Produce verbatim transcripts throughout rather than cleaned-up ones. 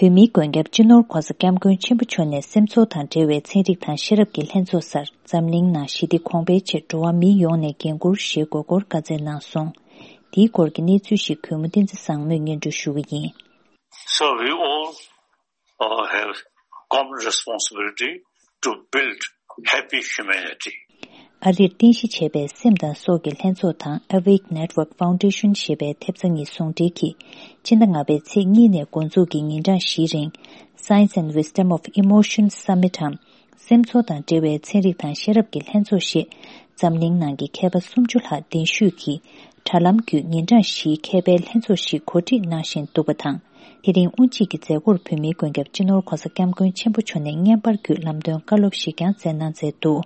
བོད་མིའི་མགོན་སྐྱབས་སྤྱི་ནོར་༧གོང་ས་༧སྐྱབས་མགོན་ཆེན་པོ་མཆོག་ནས་སེམས་ཚོར་དང་འབྲེལ་བའི་ཚན་རིག་དང་ཤེས་རབ་ཀྱི་ལྷན་ཚོགས་སར་འཛམ་གླིང་ནང་ཞི་བདེ་གོང་འཕེལ་ཆེད་འགྲོ་བ་མིའི་ཡོངས་ནས་འགན་འཁུར་ཞེས་དགོས་སྐོར་བཀའ་སྩལ་གནང་སོང་། དེའི་སྐོར་གྱི་གནས་ཚུལ་ཞིག་གུས་མོ་བསྟན་འཛིན་བཟང་མོས་སྙན་སྒྲོན་ཞུ་གི་ཡིན། So we all, uh, have common responsibility to build happy humanity. ཨ་རིར་རྟེན་གཞི་བྱས་པའི་སེམས་དང་སྲོག་གི་ལྷན་ཚོགས་དང་Awake Network Foundation ཞེས་པའི་ཐེབས་རྩ་གཉིས་ཟུང་འབྲེལ་གྱིས་ཕྱི་ཟླ་ལྔ་པའི་ཚེས་གཉིས་ནས་འགོ་འཛུགས་ཀྱིས་ཉིན་གྲངས་བཞིའི་རིང་Science and Wisdom of Emotion Summit འམ་སེམས་ཚོར་དང་འབྲེལ་བའི་ཚན་རིག་དང་ཤེས་རབ་ཀྱི་ལྷན་ཚོགས་ཞེས་འཛམ་གླིང་ནང་གི་མཁས་པ་སུམ་ཅུ་ལྷག་གདན་ཞུས་ཀྱིས་དྲ་ལམ་བརྒྱུད་ཉིན་གྲངས་བཞིའི་མཁས་པའི་ལྷན་ཚོགས་ཤིག་གོ་སྒྲིག་གནང་བཞིན་འདུག་པ་དང་། དེ་རིང་དབུ་འབྱེད་ཀྱི་མཛད་སྒོར་བོད་མིའི་མགོན་སྐྱབས་སྤྱི་ནོར་༧གོང་ས་༧སྐྱབས་མགོན་ཆེན་པོ་མཆོག་ནས་བརྙན་པར་བརྒྱུད་ལམ་སྟོན་བཀའ་སློབ་ཞིག་ཀྱང་སྩལ་གནང་མཛད་འདུག་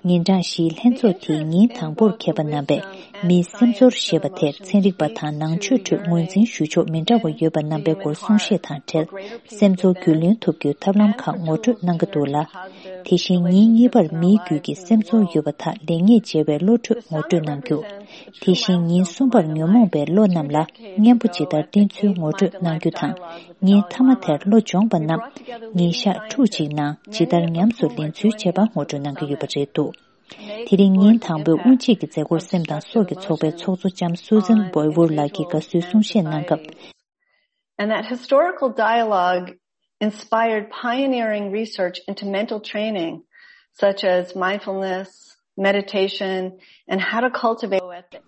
ཉིན་གྲངས་བཞིའི་ལྷན་ཚོགས་དེའི་ཉིན་དང་པོར་མཁས་པ་རྣམ་པས་མིའི་སེམས་ཚོར་ཞེས་པ་དེར་ཚན་རིག་པ་དང་ནང་ཆོས་ཁྲོད་ངོས་འཛིན་ཞུ་ཕྱོགས་མི་འདྲ་བ་ཡོད་པ་རྣམ་པའི་སྐོར་གསུང་བཤད་དང་འབྲེལ་སེམས་ཚོར་རྒྱུས་ལོན་ཐུབ་རྒྱུའི་ཐབས་ལམ་ཁག་ངོ་སྤྲོད་གནང་གི་འདུག་ལ། དེ་བཞིན་ཉིན་གཉིས་པར་མིའི་རྒྱུད་ཀྱི་སེམས་ཚོར་ཡོད་པ་དག་ལེགས་ཉེས་འབྱེད་པའི་བློ་གྲོས་ངོ་སྤྲོད་གནང་རྒྱུ། དེ་བཞིན་ཉིན་གསུམ་པར་ཉོན་མོངས་པའི་བློ་རྣམས་ལ་གཉེན་པོ་ཇི་ལྟར་བསྟེན་ཚུལ་ངོ་སྤྲོད་གནང་རྒྱུ་དང་། ཉིན་མཐའ་མ་དེར་བློ་སྦྱོང་བ་རྣམས་ཉིན་ཞག་ཕྲུགས་གཅིག་ནང་ཇི་ལྟར་ཉམས་སུ་ལེན་ཚུལ་བཅས་པ་ངོ་སྤྲོད་གནང་གི་ཡོད་པ་རེད་འདུག་དེ་རིང་ཉིན་དང་པོའི་དབུ་འབྱེད་ཀྱི་མཛད་སྒོར་སེམས་དང་སྲོག་གི་ཚོགས་པའི་ཚོགས་གཙོ་ལྕམ་Susan Boywood ལགས་ཀྱིས་དགའ་བསུའི་གསུང་བཤད་གནང་སྐབས། And that historical dialogue inspired pioneering research into mental training, such as mindfulness, meditation, and how to cultivate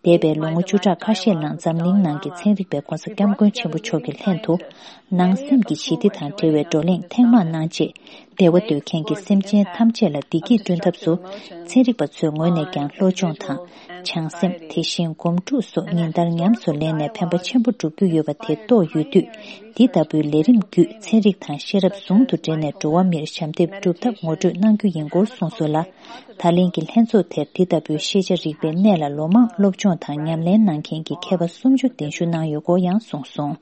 འདས་པའི་ལོ་ངོ་བཅུ་ཕྲག་ཁ་ཤས་ནང་འཛམ་གླིང་ནང་གི་ཚན་རིག་པས་༧གོང་ས་༧སྐྱབས་མགོན་ཆེན་པོ་མཆོག་གི་ལྷན་དུ་ནང་སེམས་ཀྱི་ཞི་བདེ་དང་འབྲེལ་བའི་བགྲོ་གླེང་ཐེངས་མང་གནང་རྗེས། བདེ་བ་འདོད་མཁན་གྱི་སེམས་ཅན་ཐམས་ཅད་ལ་བདེ་སྐྱིད་བསྐྲུན་ཐབས་སུ་ཚན་རིག་པ་ཚོའི་ངོས་ནས་ཀྱང་བློ་སྦྱོང་དང་། བྱང་སེམས། དེ་བཞིན་སྒོམ་སྒྲུབ་སོགས་ཉིན་ལྟར་ཉམས་སུ་ལེན་ནས་ཕན་པ་ཆེན་པོ་བསྒྲུབ་རྒྱུ་ཡོད་པ་དེ་རྟོགས་ཡོད་དུས། འདི་ལྟ་བུའི་ལས་རིམ་བརྒྱུད་ཚན་རིག་དང་ཤེས་རབ་ཟུང་དུ་འབྲེལ་ནས་འགྲོ་བ་མིར་ཞབས་འདེགས་སྒྲུབ་ཐབས་ངོ་སྤྲོད་གནང་རྒྱུ་ཡིན་སྐོར་གསུངས་སོང་ལ། ད་ལན་གྱི་ལྷན་ཚོགས་དེར་འདི་ལྟ་བུའི་ཤེས་བྱ་རིག་པའི་གནས་ལ་ལོ་མང་སློབ་སྦྱོང་དང་ཉམས་ལེན་གནང་མཁན་གྱི་མཁས་པ་སུམ་ཅུ་གདན་ཞུ་གནང་ཡོད་སྐོར་ཡང་གསུངས་སོང་།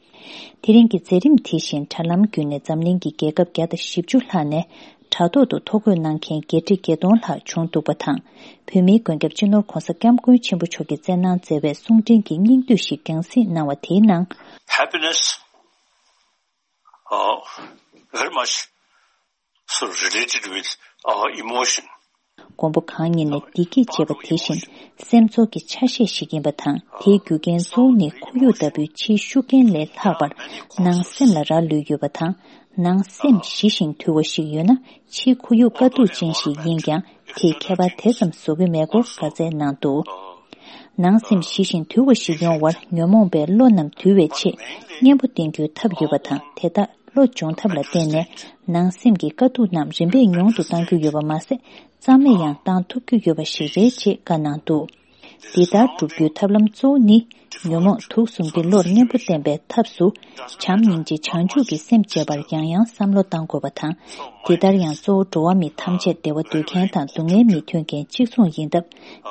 དེ་རིང་གི་མཛད་རིམ་དེ་བཞིན་དྲ་ལམ་བརྒྱུད་ནས་འཛམ་གླིང་གི་རྒྱལ་ཁབ་བརྒྱ་དང་བཞི་བཅུ་ལྷག་ནས་དྲ་ཐོག་ཏུ་ཐོ་འགོད་གནང་མཁན་བརྒྱད་ཁྲི་བརྒྱད་སྟོང་ལྷག་བྱུང་འདུག་པ་དང་། བོད་མིའི་མགོན་སྐྱབས་སྤྱི་ནོར་༧གོང་ས་༧སྐྱབས་མགོན་ཆེན་པོ་མཆོག་གིས་སྩལ་གནང་མཛད་པའི་གསུང་འཕྲིན་གྱི་སྙིང་བསྡུས་ཤིག་རྒྱང་སྲིང་གནང་བ་དེའི་ནང་། Happiness, uh, very much so related with our emotion. མགོན་པོ་གང་ཉིད་ནས་བདེ་སྐྱིད་ཅེས་པ་དེ་བཞིན་སེམས་ཚོར་གྱི་ཆ་ཤས་ཤིག་ཡིན་པ་དང་། དེའི་རྒྱུ་རྐྱེན་གཙོ་བོ་ནི་ཁོར་ཡུག་ལྟ་བུའི་ཕྱིའི་ཤུགས་རྐྱེན་ལས་ལྷག་པར་ནང་སེམས་ལ་རག་ལུས་ཡོད་པ་དང་། ནང་སེམས་ཞི་ཞིང་དུལ་བ་ཞིག་ཡོད་ན། ཕྱིའི་ཁོར་ཡུག་དཀའ་སྡུག་ཅན་ཞིག་ཡིན་ཀྱང་དེས་ཁྱད་པར་དེ་ཙམ་བཟོ་གི་མེད་སྐོར་བཀའ་སྩལ་གནང་འདུག་ནང་སེམས་ཞི་ཞིང་དུལ་བ་ཞིག་ཡོང་བར་ཉོན་མོངས་པའི་བློ་རྣམས་དུལ་བའི་ཆེད་གཉེན་པོ་བསྟེན་རྒྱུའི་ཐབས་ཡོད་པ་དང་། དེ་དག་བློ་སྦྱོང་ཐབས་ལ་བརྟེན་ནས་ནང་སེམས་ཀྱི་དཀའ་སྡུག་རྣམས་རིམ་པས་ཉུང་དུ་གཏང་རྒྱུ་ཡོད་པ་མ་ཟད། རྩ་མེད་ཡང་བཏང་ཐུབ་རྒྱུ་ཡོད་པ་ཞིག་རེད་ཅེས་བཀའ་གནང་འདུག་འདི་ལྟར་བསྒྲུབ་རྒྱུའི་ཐབས་ལམ་གཙོ་བོ་ནི། ཉོན་མོངས་དུག་གསུམ་གྱི་བློར་གཉེན་པོ་བསྟེན་པའི་ཐབས་སུ། བྱམས་སྙིང་རྗེ་བྱང་ཆུབ་ཀྱི་སེམས་བསྐྱེད་པར་ཡང་ཡང་བསམ་བློ་གཏང་དགོས་པ་དང་། འདི་ལྟར་ཡང་གཙོ་བོ་འགྲོ་བ་མི་ཐམས་ཅད་བདེ་བ་འདོད་མཁན་དང་སྡུག་བསྔལ་མི་འཐོན་མཁན་གཅིག་མཚུངས་ཡིན་སྟབས།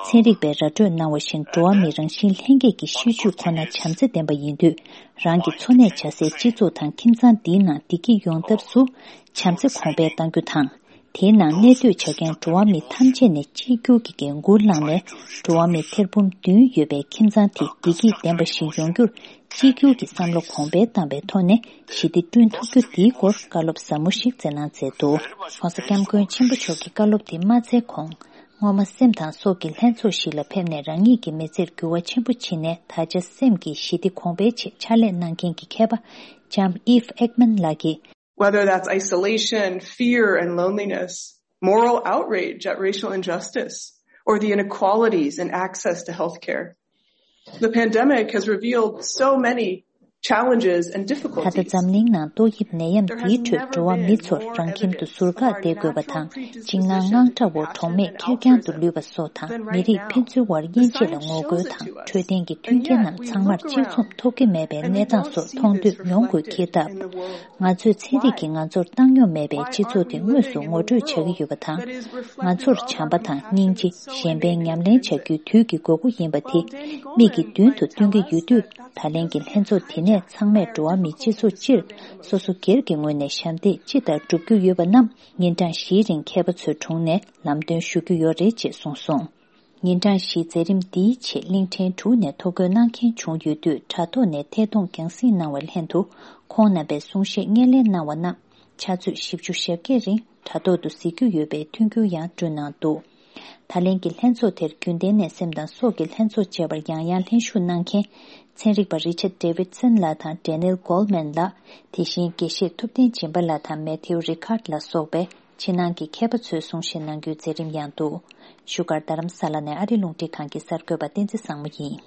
ཚན་རིག་པས་ར་སྤྲོད་གནང་བ་བཞིན་འགྲོ་བ་མི་རང་བཞིན་ལྷན་སྐྱེས་ཀྱི་ཤེས་རྒྱུད་ཁོ་ན་བྱམས་བརྩེ་ལྡན་པ་ཡིན་དུས། རང་གི་འཚོ་གནས་བྱ་སའི་སྤྱི་ཚོགས་དང་ཁྱིམ་ཚང་འདིའི་ནང་བདེ་སྐྱིད་ཡོང་ཐབས་སུ་བྱམས་བརྩེ་གོང་འཕེལ་གཏང་རྒྱུ་དང་། དེའི་ནང་གནས་སྡོད་བྱ་མཁན་འགྲོ་བ་མི་ཐམས་ཅད་ནས་གཅིག་གྱུར་གྱི་འགན་འཁུར་བླངས་ནས། འགྲོ་བ་མི་ཐེར་འབུམ་བདུན་ཡོད་པའི་ཁྱིམ་ཚང་དེ་བདེ་སྐྱིད་ལྡན་པ་ཞིག་ཡོང་རྒྱུར་གཅིག་གྱུར་གྱི་བསམ་བློ་གོང་འཕེལ་བཏང་པའི་ཐོག་ནས་ཞི་བདེ་བསྐྲུན་ཐུབ་རྒྱུ་དེའི་སྐོར་བཀའ་སློབ་ཟབ་མོ་ཞིག་སྩལ་གནང་མཛད་འདུག ྋགོང་ས་ྋསྐྱབས་མགོན་ཆེན་པོ་མཆོག་གི་བཀའ་སློབ་དེ་མ་སྩལ་གོང་། སྔོན་མ་སེམས་དང་སྲོག་གི་ལྷན་ཚོགས་ཤིག་ལ་ཕེབས་ནས་རང་ཉིད་ཀྱི་མི་ཚེར་འགྱུར་བ་ཆེན་པོ་ཕྱིན་ནས། ད་ཆ་སེམས་ཀྱི་ཞི་བདེ་གོང་འཕེལ་ཆེད་ཕྱག་ལས་གནང་མཁན་གྱི་མཁས་པ་ལྕམ་Eve Ekman ལགས་ཀྱིས། Whether that's isolation, fear, and loneliness, moral outrage at racial injustice, or the inequalities in access to healthcare. The pandemic has revealed so many challenges and difficulties. ད་ལྟ་འཛམ་གླིང་ནང་ཏོག་དབྱིབས་ནད་ཡམས་འདིའི་ཁྲོད་འགྲོ་བ་མི་ཚོར་རང་ཁྱིམ་དུ་ཟུར་བཀག་བསྡད་དགོས་པ་དང་། སྤྱིར་ན་དངངས་སྐྲག་འོག་གྲོགས་མེད་ཁེར་རྐྱང་དུ་ལུས་པ་སོགས་དང་། མི་རིགས་ཕན་ཚུན་དབར་དབྱེ་འབྱེད་ལ་ངོ་རྒོལ་དང་། འཕྲོད་བསྟེན་གྱི་མཐུན་རྐྱེན་རྣམས་ཚང་མར་གཅིག་མཚུངས་ཐོབ་ཀྱི་མེད་པའི་གནས་སྟངས་སོགས་མཐོང་ཐོས་མྱོང་དགོས་ཀྱི་སྟབས། ང་ཚོས་ཚན་རིག་གིས་ང་ཚོར་བཏང་སྙོམས་མེད་པའི་སྤྱི་ཚོགས་དེ་དངོས་སུ་ངོ་སྤྲོད་བྱ་གི་ཡོད་པ་དང་། ང་ཚོར་བྱམས་པ་དང་སྙིང་རྗེ། གཞན་ཕན་ཉམས་ལེན་བྱ་རྒྱུའི་དུས་ཀྱི་དགོས་མཁོ་ཡིན་པ་དེ་མིག་གི་མདུན་དུ་སྟོན་གྱི་ཡོད་དུས། ད་ལན་གྱི་ལྷན་ཚོགས་དེ་ནས་ཚང་མས་འགྲོ་བ་མིའི་སྤྱི་ཚོགས་སྤྱིར་སོ་སོ་སྒེར་གྱི་ངོས་ནས་ཞབས་འདེགས་ཅི་ལྟར་བསྒྲུབ་རྒྱུ་ཡོད་པ་རྣམས་ཉིན་གྲངས་བཞིའི་རིང་མཁས་པ་ཚོའི་དྲུང་ནས་ལམ་སྟོན་ཞུ་རྒྱུ་ཡོད་རེད་ཅེས་གསུངས་སོང་། ཉིན་གྲངས་བཞིའི་མཛད་རིམ་འདིའི་ཆེད་གླིང་ཕྲན་དྲུག་ནས་ཐོ་འགོད་གནང་མཁན་བྱུང་ཡོད་དུས། དྲ་ཐོག་ནས་ཐད་གཏོང་རྒྱང་སྲིང་གནང་བ་ལྷན་དུ། ཁོང་རྣམ་པའི་གསུང་བཤད་སྙན་ལེན་གནང་བ་རྣམས་ཕྱག་ཚོད་བཞི་བཅུ་ཞེ་བརྒྱད་རིང་དྲ་ཐོག་ཏུ་གཟིགས་རྒྱུ་ཡོད་པའི་མཐུན་འགྱུར་ཡང་བསྐྲུན་གནང་འདུག། ད་ལན་གྱི་ལྷན་ཚོགས་དེར་རྒྱུན་ལྡན་ནད་སེམས་དང་སྲོག་གི་ལྷན་ཚོགས་བཅས་པར་ཡང་ཡང་ལྷན་ཞུགས་གནང་མཁན་ཚན་རིག་པ་རི་ཆར་ཌེ་བིད་སན་ལགས་དང་ཌེ་ནེལ་གོལ་མན་ལགས། དེ་བཞིན་དགེ་བཤེས་ཐུབ་བསྟན་སྦྱིན་པ་ལགས་དང་མེ་ཐིའུ་རི་ཁཱར་ལ་སོགས་པའི་ཕྱི་ནང་གི་མཁས་པ་ཚོས་གསུང་བཤད་གནང་རྒྱུའི་མཛད་རིམ་ཡང་འདུག། བཞུགས་སྒར་རྡ་རམ་ས་ལ་ནས་ཨ་རི་རླུང་འཕྲིན་ཁང་གི་གསར་འགོད་པ་བསྟན་འཛིན་བཟང་མོ་ཡིན།